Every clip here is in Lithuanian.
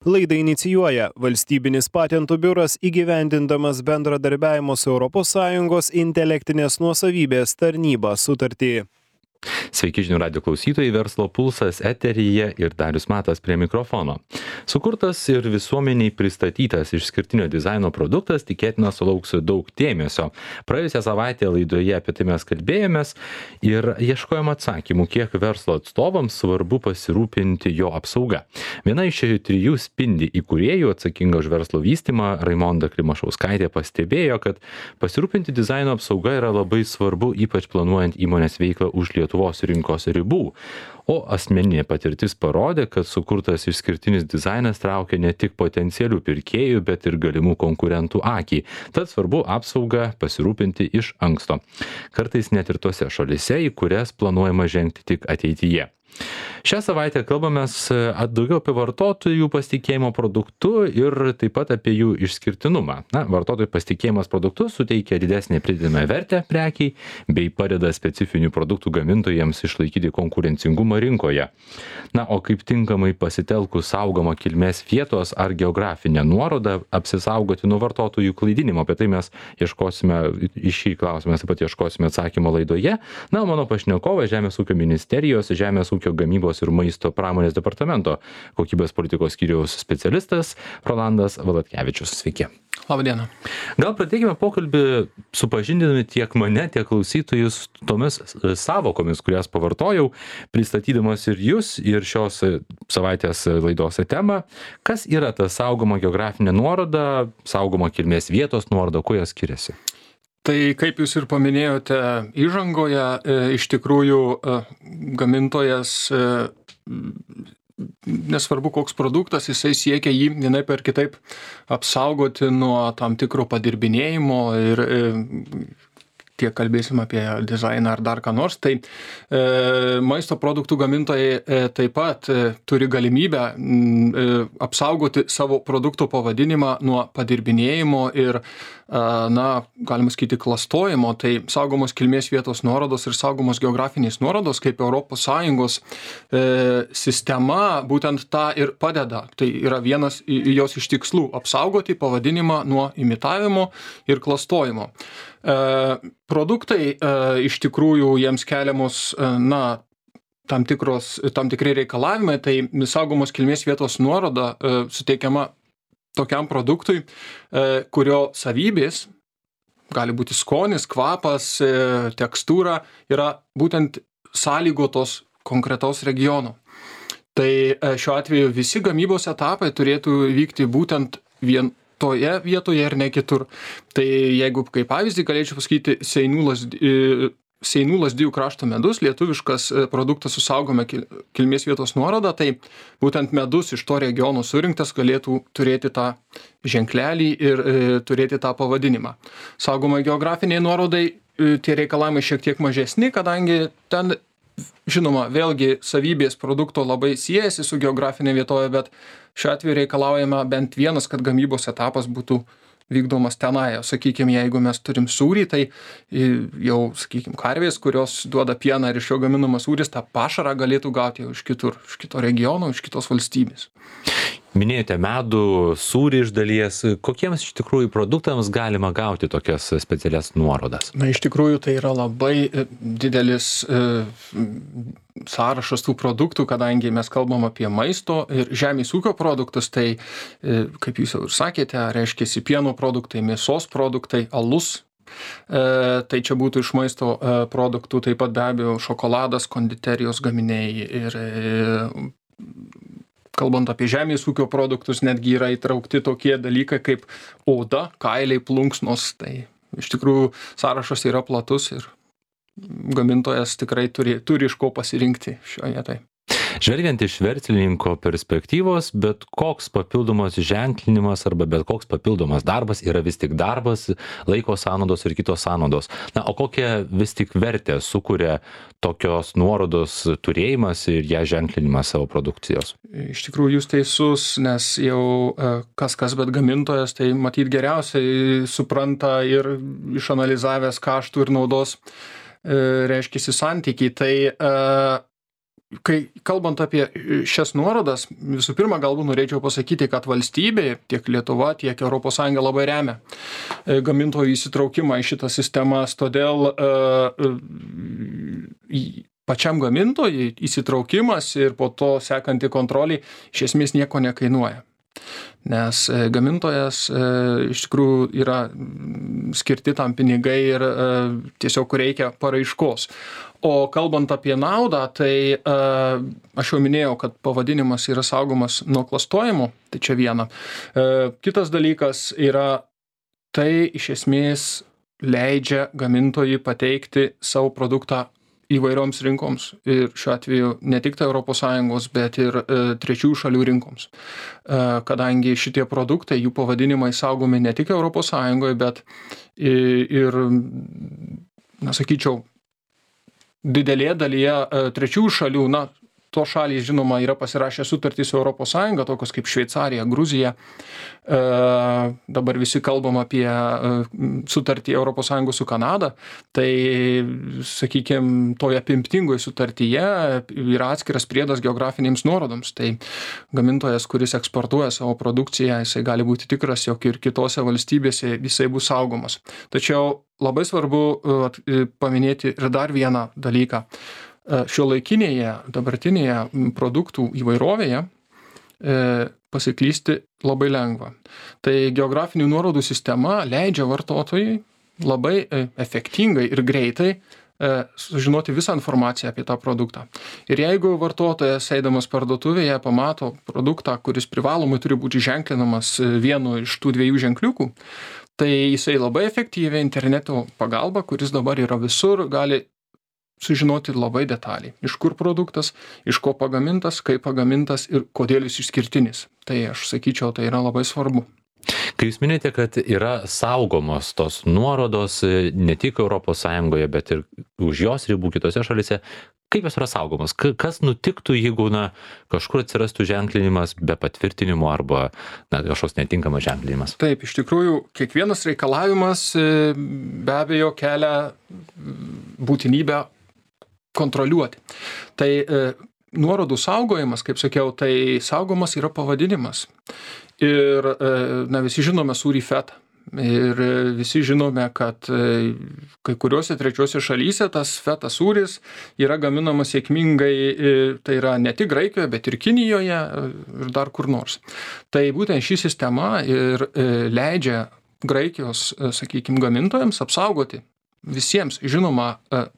Laidą inicijuoja Valstybinis patentų biuras įgyvendindamas bendradarbiavimo su ES intelektinės nuosavybės tarnyba sutartį. Sveiki žinių radijo klausytojai, Verslo pulsas eteryje ir Darius Matas prie mikrofono. Sukurtas ir visuomeniai pristatytas išskirtinio dizaino produktas tikėtina sulauks daug dėmesio. Praėjusią savaitę laidoje apie tai mes kalbėjomės ir ieškojom atsakymų, kiek verslo atstovams svarbu pasirūpinti jo apsauga. Viena iš trijų Spindi įkūrėjų atsakinga už verslo vystymą, Raimonda Klimašauskaitė, pastebėjo, kad pasirūpinti dizaino apsauga yra labai svarbu, ypač planuojant įmonės veiklą už Lietuvos rinkos ribų. O asmeninė patirtis parodė, kad sukurtas išskirtinis dizainas traukia ne tik potencialių pirkėjų, bet ir galimų konkurentų akį. Tad svarbu apsaugą pasirūpinti iš anksto. Kartais net ir tose šalyse, į kurias planuojama žengti tik ateityje. Šią savaitę kalbamės daugiau apie vartotojų pasitikėjimo produktu ir taip pat apie jų išskirtinumą. Vartotojų pasitikėjimas produktu suteikia didesnę pridedamąją vertę prekiai bei padeda specifinių produktų gamintojams išlaikyti konkurencingumą rinkoje. O kaip tinkamai pasitelkus saugomą kilmės vietos ar geografinę nuorodą apsisaugoti nuo vartotojų klaidinimo. Apie tai mes ieškosime, iš šį klausimą taip pat ieškosime atsakymo laidoje. Mano pašnekovas Žemės ūkio ministerijos, Žemės ūkio gamybos ir maisto pramonės departamento kokybės politikos skyriaus specialistas Rolandas Valatkevičius. Sveiki. Labadiena. Gal pradėkime pokalbį supažindinami tiek mane, tiek klausytojus tomis savokomis, kurias pavartojau, pristatydamas ir jūs, ir šios savaitės laidos temą. Kas yra ta saugoma geografinė nuoroda, saugoma kilmės vietos nuoroda, kuo jos skiriasi? Tai kaip jūs ir paminėjote įžangoje, iš tikrųjų gamintojas, nesvarbu koks produktas, jisai siekia jį vienaip ar kitaip apsaugoti nuo tam tikro padirbinėjimo ir tiek kalbėsim apie dizainą ar dar ką nors, tai maisto produktų gamintojai taip pat turi galimybę apsaugoti savo produkto pavadinimą nuo padirbinėjimo ir, galima sakyti, klastojimo. Tai saugomos kilmės vietos nuorodos ir saugomos geografinės nuorodos kaip ES sistema būtent tą ir padeda. Tai yra vienas jos iš tikslų - apsaugoti pavadinimą nuo imitavimo ir klastojimo. Produktai iš tikrųjų jiems keliamos tam tikri reikalavimai, tai saugomos kilmės vietos nuoroda suteikiama tokiam produktui, kurio savybės, gali būti skonis, kvapas, tekstūra, yra būtent sąlygotos konkretaus regiono. Tai šiuo atveju visi gamybos etapai turėtų vykti būtent vien toje vietoje ir ne kitur. Tai jeigu kaip pavyzdį galėčiau pasakyti Seinų Lazdijų krašto medus, lietuviškas produktas su saugoma kilmės vietos nuoroda, tai būtent medus iš to regiono surinktas galėtų turėti tą ženklelį ir turėti tą pavadinimą. Saugomai geografiniai nuorodai tie reikalavimai šiek tiek mažesni, kadangi ten žinoma, vėlgi savybės produkto labai siejasi su geografinė vietovė, bet šiuo atveju reikalaujama bent vienas, kad gamybos etapas būtų vykdomas tenai. Sakykime, jeigu mes turim sūrį, tai jau, sakykime, karvės, kurios duoda pieną ir iš jo gaminamas sūris, tą pašarą galėtų gauti jau iš kitur, iš kito regiono, iš kitos valstybės. Minėjote medų, sūrį iš dalies. Kokiems iš tikrųjų produktams galima gauti tokias specialias nuorodas? Iš tikrųjų tai yra labai didelis sąrašas tų produktų, kadangi mes kalbam apie maisto ir žemės ūkio produktus, tai, kaip jūs jau ir sakėte, reiškia pieno produktai, mėsos produktai, alus. Tai čia būtų iš maisto produktų, taip pat be abejo šokoladas, konditerijos gaminiai ir kalbant apie žemės ūkio produktus, netgi yra įtraukti tokie dalykai kaip oda, kailiai, plunksnos. Tai iš tikrųjų sąrašas yra platus ir gamintojas tikrai turi iš ko pasirinkti šioje vietoje. Žvelgiant iš verslininko perspektyvos, bet koks papildomas ženklinimas arba bet koks papildomas darbas yra vis tik darbas, laiko sąnaudos ir kitos sąnaudos. O kokią vis tik vertę sukuria tokios nuorodos turėjimas ir ją ženklinimas savo produkcijos? Iš tikrųjų jūs teisus, nes jau kas, bet gamintojas tai matyt geriausiai supranta ir išanalizavęs kaštų ir naudos reiškiasi santykiai. Tai kai kalbant apie šias nuorodas, visų pirma, galbūt norėčiau pasakyti, kad valstybė, tiek Lietuva, tiek ES labai remia gamintojų įsitraukimą į šitas sistemas, todėl pačiam gamintojui įsitraukimas ir po to sekanti kontrolė iš esmės nieko nekainuoja. Nes gamintojas iš tikrųjų yra skirti tam pinigai ir tiesiog reikia paraiškos. O kalbant apie naudą, tai aš jau minėjau, kad pavadinimas yra saugomas nuo klastojimo, tai čia viena. Kitas dalykas yra, tai iš esmės leidžia gamintojui pateikti savo produktą įvairioms rinkoms ir šiuo atveju ne tik tai ES, bet ir trečiųjų šalių rinkoms. Kadangi šitie produktai, jų pavadinimai saugomi ne tik ES, bet ir, sakyčiau, didelėje dalyje trečiųjų šalių, to šalys, žinoma, yra pasirašę sutartį su ES, tokios kaip Šveicarija, Gruzija. Dabar visi kalbam apie sutartį ES su Kanada. Tai, sakykime, toje apimtingoje sutartyje yra atskiras priedas geografinėms nuorodoms. Tai gamintojas, kuris eksportuoja savo produkciją, jisai gali būti tikras, jog ir kitose valstybėse jisai bus saugomas. Tačiau labai svarbu paminėti ir dar vieną dalyką. Šiuolaikinėje, dabartinėje produktų įvairovėje pasiklysti labai lengva. Tai geografinių nuorodų sistema leidžia vartotojui labai efektingai ir greitai sužinoti visą informaciją apie tą produktą. Ir jeigu vartotojas, eidamas parduotuvėje, pamato produktą, kuris privalomai turi būti ženklinamas vienu iš tų dviejų ženkliukų, tai jisai labai efektyviai interneto pagalba, kuris dabar yra visur, gali sužinoti labai detaliai, iš kur produktas, iš ko pagamintas, kaip pagamintas ir kodėl jis išskirtinis. Tai aš sakyčiau, tai yra labai svarbu. Kai jūs minėjote, kad yra saugomos tos nuorodos ne tik ES, bet ir už jos ribų kitose šalise, kaip jos yra saugomos? Kas nutiktų, jeigu kažkur atsirastų ženklinimas be patvirtinimo arba kažkoks netinkamas ženklinimas? Taip, iš tikrųjų, kiekvienas reikalavimas be abejo kelia būtinybę kontroliuoti. Tai nuorodų saugojimas, kaip sakiau, tai saugomas yra pavadinimas. Ir visi žinome sūrį fetą. Ir visi žinome, kad kai kuriuose trečiuose šalyse tas feta sūris yra gaminamas sėkmingai, tai yra ne tik Graikijoje, bet ir Kinijoje ir dar kur nors. Tai būtent ši sistema ir leidžia Graikijos, sakykime, gamintojams apsaugoti visiems žinomą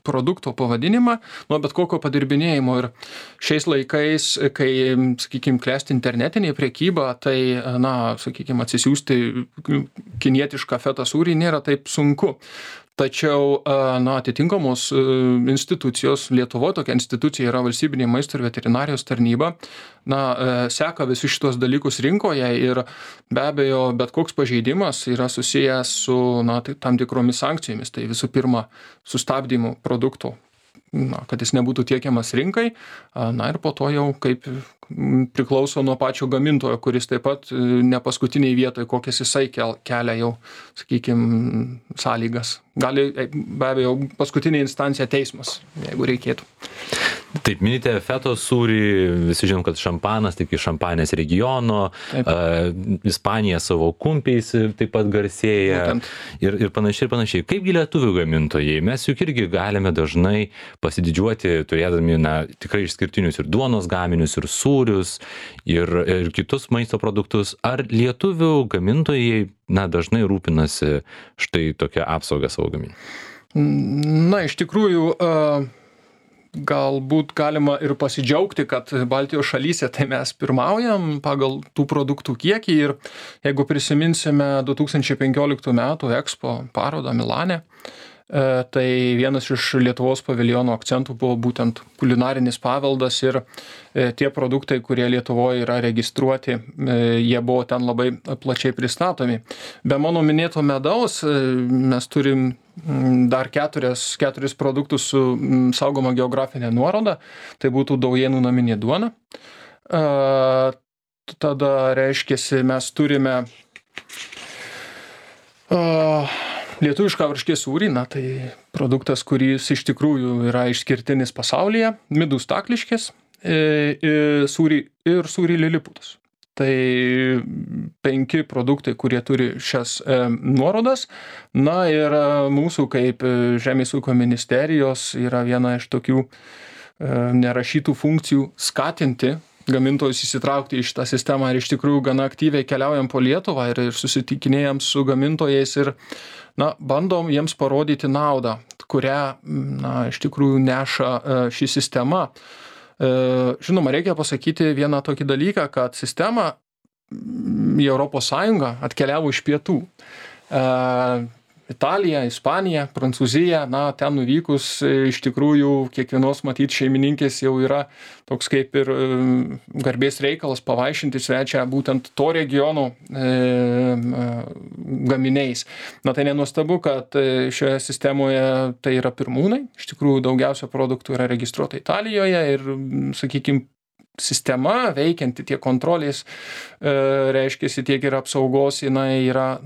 produkto pavadinimą nuo bet kokio padirbinėjimo. Ir šiais laikais, kai, sakykime, klesti internetinė prekyba, tai, sakykime, atsisiųsti kinietišką feta sūrį nėra taip sunku. Tačiau, atitinkamos institucijos, Lietuvoje tokia institucija yra Valstybinė maisto ir veterinarijos tarnyba, seka visus šitos dalykus rinkoje ir be abejo, bet koks pažeidimas yra susijęs su tam tikromis sankcijomis. Tai visų pirma, sustabdymu produkto, kad jis nebūtų tiekiamas rinkai, ir po to jau kaip priklauso nuo pačio gamintojo, kuris taip pat ne paskutiniai vietoje, kokias jisai kelia jau, sakykime, sąlygas. Gali, be abejo, paskutinė instancija teismas, jeigu reikėtų. Taip, minite fetos sūrį, visi žinom, kad šampanas, tik iš Šampanės regiono, Ispanija savo kumpiais taip pat garsėja ir panašiai. Kaipgi lietuvių gamintojai? Mes juk irgi galime dažnai pasididžiuoti, turėdami tikrai išskirtinius ir duonos gaminius, ir sūrius, ir kitus maisto produktus. Ar lietuvių gamintojai dažnai rūpinasi štai tokią apsaugą savo gaminių? Iš tikrųjų, galbūt galima ir pasidžiaugti, kad Baltijos šalyse tai mes pirmaujam pagal tų produktų kiekį ir jeigu prisiminsime 2015 metų Expo parodą Milane, tai vienas iš Lietuvos paviljono akcentų buvo būtent kulinarinis paveldas ir tie produktai, kurie Lietuvoje yra registruoti, jie buvo ten labai plačiai pristatomi. Be mano minėto medaus mes turim dar keturis produktus su saugoma geografinė nuoroda, tai būtų Daujėnų naminė duona. Tada reiškiasi, mes turime lietuvišką varškės sūrį, tai produktas, kuris iš tikrųjų yra išskirtinis pasaulyje, midų stakliškės, sūrį ir sūrį liliputas. Tai 5 produktai, kurie turi šias nuorodas. Na ir mūsų kaip Žemės ūkio ministerijos yra viena iš tokių nerašytų funkcijų skatinti gamintojus įsitraukti į šitą sistemą ir iš tikrųjų gana aktyviai keliaujam po Lietuvą ir susitikinėjam su gamintojais ir bandom jiems parodyti naudą, kurią iš tikrųjų neša ši sistema. Žinoma, reikia pasakyti vieną tokį dalyką, kad sistema į Europos Sąjungą atkeliavo iš pietų. Italija, Ispanija, Prancūzija, ten nuvykus iš tikrųjų kiekvienos matyt šeimininkės jau yra toks kaip ir garbės reikalas pavaišinti svečią būtent to regiono gaminiais. Tai nenuostabu, kad šioje sistemoje tai yra pirmūnai. Iš tikrųjų daugiausia produktų yra registruota Italijoje ir, sakykime, sistema veikianti tiek kontrolės, reiškiasi tiek ir apsaugos, jinai yra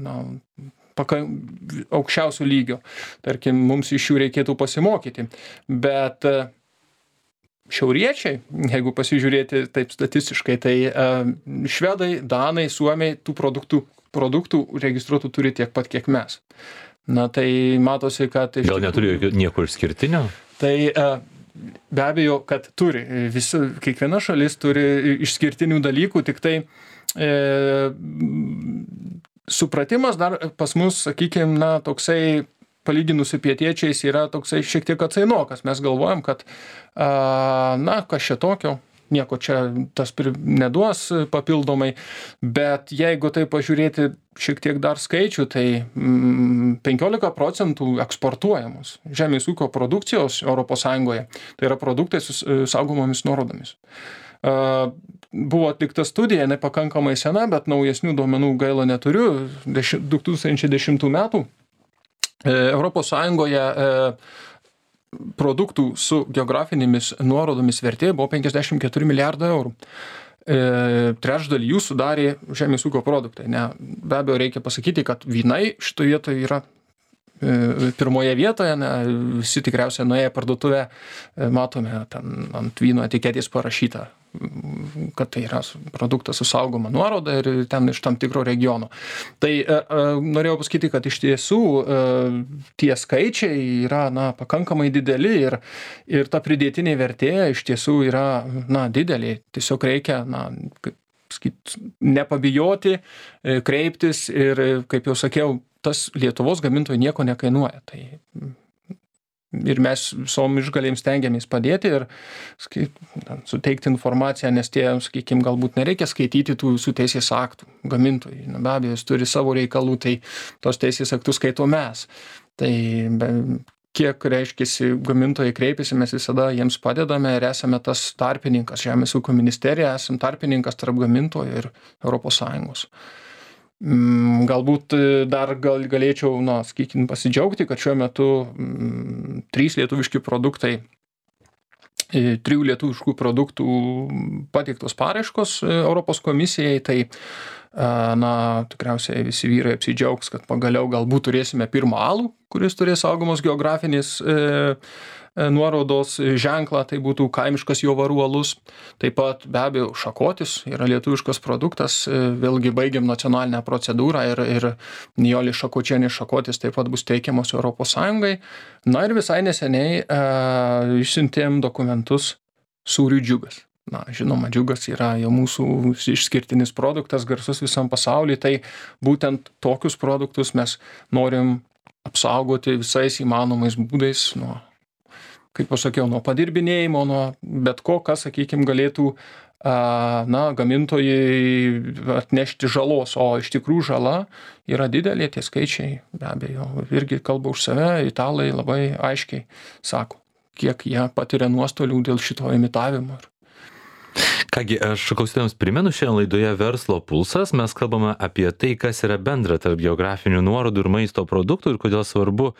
aukščiausių lygio. Tarkim, mums iš jų reikėtų pasimokyti. Bet šiauriečiai, jeigu pasižiūrėti taip statistiškai, tai švedai, danai, suomiai tų produktų registruotų turi tiek pat, kiek mes. Tai matosi, kad... Gal neturi nieko išskirtinio? Tai be abejo, kad turi. Kiekviena šalis turi išskirtinių dalykų, tik tai supratimas dar pas mus, sakykime, toksai palyginus su pietiečiais yra toksai šiek tiek atsainokas. Mes galvojam, kad kas čia tokio, nieko čia tas neduos papildomai, bet jeigu tai pažiūrėti šiek tiek dar skaičių, tai 15% eksportuojamos žemės ūkio produkcijos Europos Sąjungoje. Tai yra produktai su saugomomis nuorodomis. Buvo atlikta studija, nepakankamai sena, bet naujesnių duomenų gaila neturiu, 2010 metų. Europos Sąjungoje produktų su geografinėmis nuorodomis vertė buvo 54 milijardai eurų. Trečdalį jų sudarė žemės ūkio produktai. Be abejo, reikia pasakyti, kad vynai šitoje vietoje yra pirmoje vietoje, visi tikriausiai nuėję parduotuvę, matome ten ant vyno etiketės parašyta, kad tai yra produktas su saugoma nuoroda ir ten iš tam tikro regiono. Tai norėjau pasakyti, kad iš tiesų tie skaičiai yra pakankamai dideli ir ta pridėtinė vertė iš tiesų yra didelė. Tiesiog reikia nepabijoti, kreiptis ir, kaip jau sakiau, tas Lietuvos gamintojai nieko nekainuoja. Ir mes visom išgalėms stengiamės padėti ir suteikti informaciją, nes sakykime, galbūt nereikia skaityti tų visų teisės aktų gamintojai. Be abejo, jis turi savo reikalų, tai tos teisės aktus skaito mes. Tai kiek reiškiasi gamintojai kreipiasi, mes visada jiems padedame ir esame tas tarpininkas, Žemės ūkio ministerija, esame tarpininkas tarp gamintojų ir Europos Sąjungos. Galbūt dar galėčiau, sakykime, pasidžiaugti, kad šiuo metu 3 lietuviški produktai, 3 lietuviškų produktų pateiktos paraiškos Europos komisijai, tai tikriausiai visi vyrai apsidžiaugs, kad pagaliau galbūt turėsime pirmą alų, kuris turės saugomos geografinės nuorodos ženklą, tai būtų kaimiškas jovarų alus. Taip pat be abejo šakotis yra lietuviškas produktas, vėlgi baigiam nacionalinę procedūrą ir Nijolė Šakočienė šakotis taip pat bus teikiamos Europos Sąjungai. Ir visai neseniai išsiuntėm dokumentus sūriui Džiugas. Žinoma, Džiugas yra jau mūsų išskirtinis produktas, garsus visam pasaulyje, tai būtent tokius produktus mes norim apsaugoti visais įmanomais būdais kaip pasakiau, nuo padirbinėjimo, nuo bet ko, kas, sakykime, galėtų gamintojai atnešti žalos, o iš tikrųjų žala yra didelė, tie skaičiai, be abejo, irgi kalba už save, italai labai aiškiai sako, kiek jie patiria nuostolių dėl šito imitavimo. Kągi, aš klausytojams primenu, šiandien laidoje Verslo pulsas mes kalbame apie tai, kas yra bendra tarp geografinių nuorodų ir maisto produktų ir kodėl svarbu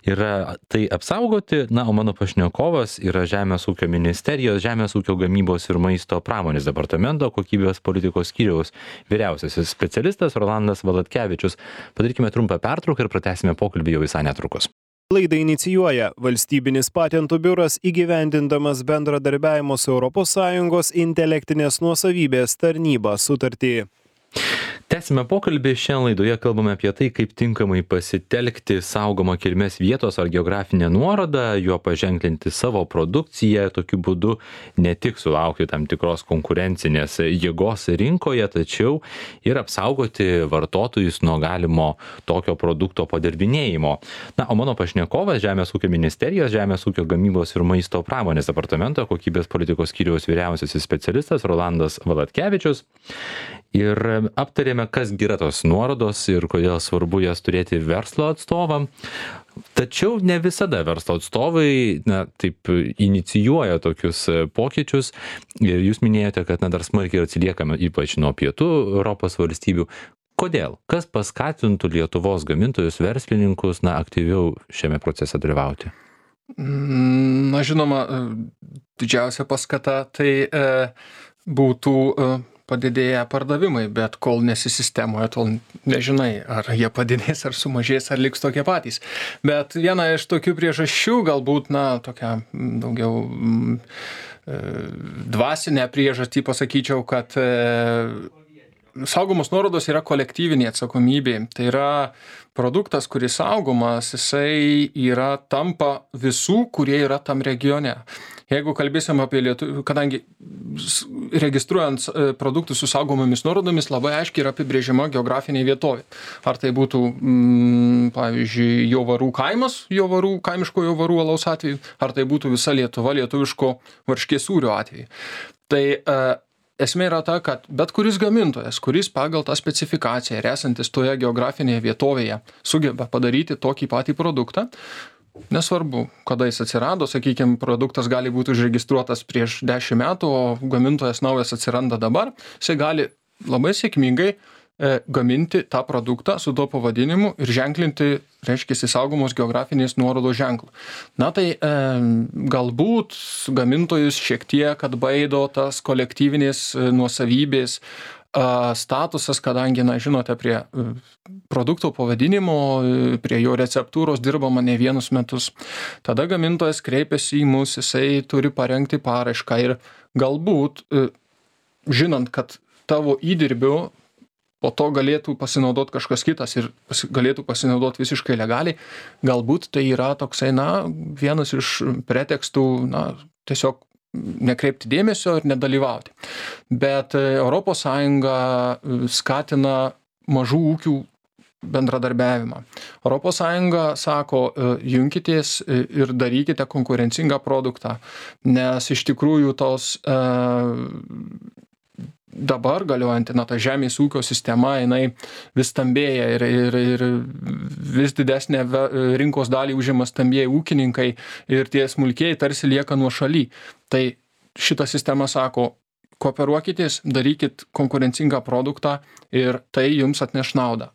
yra tai apsaugoti. O mano pašnekovas yra Žemės ūkio ministerijos, Žemės ūkio gamybos ir maisto pramonės departamento kokybės politikos skyriaus vyriausiasis specialistas Rolandas Valatkevičius. Padarykime trumpą pertrauką ir pratęsime pokalbį jau visai netrukus. Laidą inicijuoja Valstybinis patentų biuras įgyvendindamas bendradarbiavimo su ES intelektinės nuosavybės tarnyba sutartį. Tęsime pokalbį. Šiandien laidoje kalbame apie tai, kaip tinkamai pasitelkti saugomą kilmės vietos ar geografinę nuorodą, juo paženklinti savo produkciją, tokiu būdu ne tik sulaukti tam tikros konkurencinės jėgos rinkoje, tačiau ir apsaugoti vartotojus nuo galimo tokio produkto padirbinėjimo. Na, o mano pašnekovas Žemės ūkio ministerijos, Žemės ūkio gamybos ir maisto pramonės departamento kokybės politikos skyriaus vyriausiasis specialistas Rolandas Valatkevičius. Ir aptarėme, kas yra tos nuorodos ir kodėl svarbu jas turėti verslo atstovam. Tačiau ne visada verslo atstovai taip inicijuoja tokius pokyčius. Ir jūs minėjote, kad dar smarkiai atsiliekame ypač nuo pietų Europos valstybių. Kodėl? Kas paskatintų Lietuvos gamintojus, verslininkus aktyviau šiame procese dalyvauti? Na, žinoma, didžiausia paskata tai būtų padidėję pardavimai, bet kol nesi sistemoje, tol nežinai, ar jie padidės, ar sumažės, ar liks tokie patys. Bet viena iš tokių priežasčių, galbūt, tokia daugiau dvasinė priežastį pasakyčiau, kad saugomos nuorodos yra kolektyvinė atsakomybė. Tai yra produktas, kuris saugomas, jisai tampa visų, kurie yra tam regione. Jeigu kalbėsim apie Lietuvą, kadangi registruojant produktus su saugomomis nuorodomis labai aiškiai yra apibrėžiama geografinė vietovė. Ar tai būtų, pavyzdžiui, Jovarų kaimas, kaimiško Jovarų alaus atveju, ar tai būtų visa Lietuva lietuviško varškės sūrio atveju. Tai esmė yra ta, kad bet kuris gamintojas, kuris pagal tą specifikaciją ir esantis toje geografinėje vietovėje sugeba padaryti tokį patį produktą, nesvarbu, kada jis atsirado, sakykime, produktas gali būti užregistruotas prieš 10 metų, o gamintojas naujas atsiranda dabar, jisai gali labai sėkmingai gaminti tą produktą su tuo pavadinimu ir ženklinti, reiškia, saugomos geografinės nuorodos ženklų. Na tai galbūt gamintojus šiek tiek atbaido tas kolektyvinės nuosavybės statusas, kadangi, žinote, prie produkto pavadinimo, prie jo receptūros dirbama ne vienus metus. Tada gamintojas kreipiasi į mus, jisai turi parengti paraišką ir galbūt, žinant, kad tavo įdirbiu po to galėtų pasinaudoti kažkas kitas ir galėtų pasinaudoti visiškai legaliai, galbūt tai yra toksai, vienas iš pretekstų, tiesiog nekreipti dėmesio ir nedalyvauti. Bet ES skatina mažų ūkių bendradarbiavimą. ES sako, junkitės ir darykite konkurencingą produktą, nes iš tikrųjų tos dabar galiojanti, ta žemės ūkio sistema, jinai vis stambėja ir vis didesnė rinkos dalį užima stambieji ūkininkai ir tie smulkieji tarsi lieka nuošaly. Tai šita sistema sako, kooperuokitės, darykit konkurencingą produktą ir tai jums atneš naudą.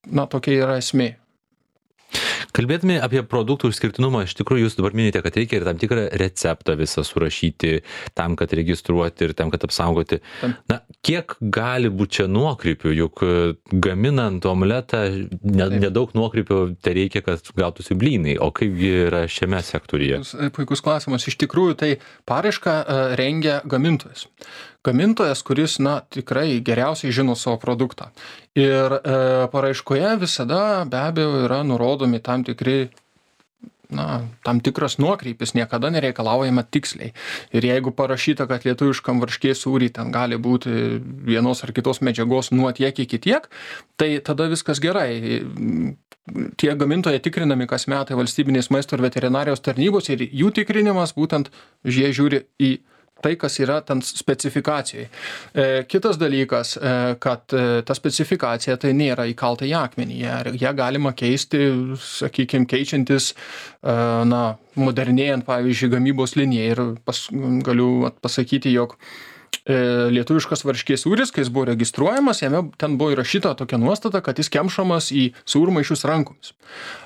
Tokia yra esmė. Kalbėdami apie produktų išskirtinumą, iš tikrųjų jūs dabar minite, kad reikia ir tam tikrą receptą visą surašyti tam, kad registruoti ir tam, kad apsaugoti. Kiek gali būti čia nuokrypių, juk gaminant omletą nedaug nuokrypių tai reikia, kad gautųsi blynai, o kaipgi yra šiame sektoriuje? Puikus klausimas. Iš tikrųjų, tai paraišką rengia gamintojas. Gamintojas, kuris, tikrai geriausiai žino savo produktą. Ir paraiškoje visada be abejo yra nurodomi tam tikras nuokrypis, niekada nereikalaujama tiksliai. Ir jeigu parašyta, kad lietuviškam varškės sūrį ten gali būti vienos ar kitos medžiagos nuo tiek iki tiek, tai tada viskas gerai. Tie gamintojai tikrinami kas metai valstybinės maisto ir veterinarijos tarnybos ir jų tikrinimas būtent jie žiūri į tai, kas yra ten specifikacijai. Kitas dalykas, kad ta specifikacija tai nėra įkalta į akmenį. Ją galima keisti, sakykime, keičiantis, modernėjant, pavyzdžiui, gamybos liniją. Ir galiu pasakyti, jog lietuviškas varškės sūris, kai jis buvo registruojamas, jame ten buvo įrašyta tokia nuostata, kad jis kemšamas į sūrmaišius rankomis.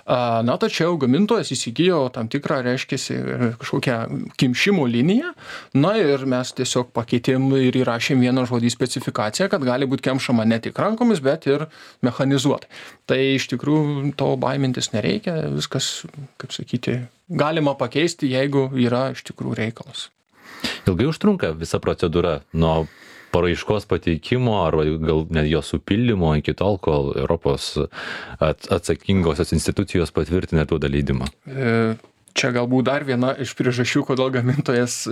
Na, tačiau gamintojas įsigijo tam tikrą, reiškiasi, kažkokią kimšimo liniją, na ir mes tiesiog pakeitėm ir įrašėm vieną žodį specifikaciją, kad gali būti kemšama ne tik rankomis, bet ir mechanizuotai. Tai iš tikrųjų to baimintis nereikia, viskas, kaip sakyti, galima pakeisti, jeigu yra iš tikrųjų reikalas. Ilgai užtrunka visa procedūra nuo paraiškos pateikimo ar gal net jo supildymo iki tol, kol Europos atsakingosios institucijos patvirtina ir duoda leidimą? Čia galbūt dar viena iš priežasčių, kodėl gamintojas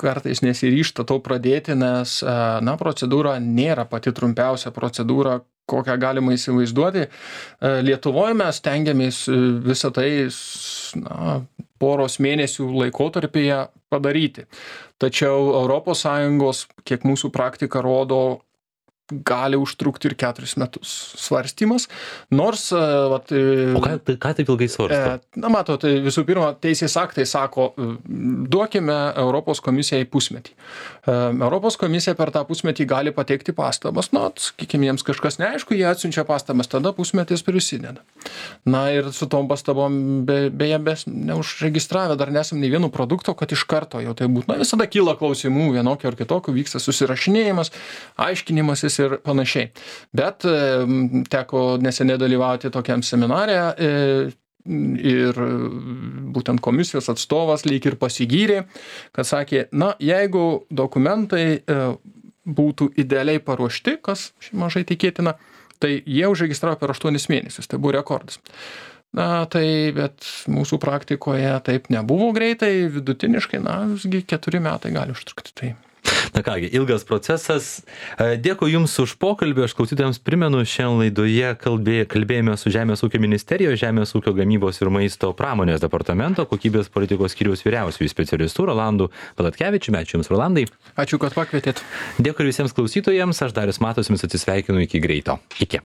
kartais nesiryžta to pradėti, nes procedūra nėra pati trumpiausia procedūra, kokią galima įsivaizduoti. Lietuvoje mes stengiamės visą tai poros mėnesių laikotarpyje padaryti. Tačiau ES, kiek mūsų praktika rodo, gali užtrukti ir 4 metus svarstymas, nors... O ką taip ilgai svarsto? Matot, visų pirma, teisės aktai sako, duokime Europos komisijai pusmetį. Europos komisija per tą pusmetį gali pateikti pastabas, sakykime, jiems kažkas neaišku, jie atsiunčia pastabas, tada pusmetis prisideda. Na ir su tom pastabom, beje, neužregistravę dar nesam nei vieno produkto, kad iš karto jau tai būtų. Visada kyla klausimų vienokio ar kitokio, vyksta susirašinėjimas, aiškinimasis ir panašiai. Bet teko neseniai dalyvauti tokiam seminare ir būtent komisijos atstovas lyg ir pasigyrė, kad sakė, jeigu dokumentai būtų idealiai paruošti, kas mažai tikėtina, tai jie užregistravo per 8 mėnesius, tai buvo rekordas. Bet mūsų praktikoje taip nebuvo greitai, vidutiniškai, visgi 4 metai gali užtrukti. Tai. Na kągi, ilgas procesas. Dėkui Jums už pokalbį. Aš klausytojams primenu, šiandien laidoje kalbėjome su Žemės ūkio ministerijos, Žemės ūkio gamybos ir maisto pramonės departamento kokybės politikos skyriaus vyriausiųjų specialistų Rolandu Valatkevičiumi. Ačiū Jums, Rolandai. Ačiū, kad pakvietėt. Dėkui visiems klausytojams. Aš Darius Matas, Jums atsisveikinu iki greito. Iki.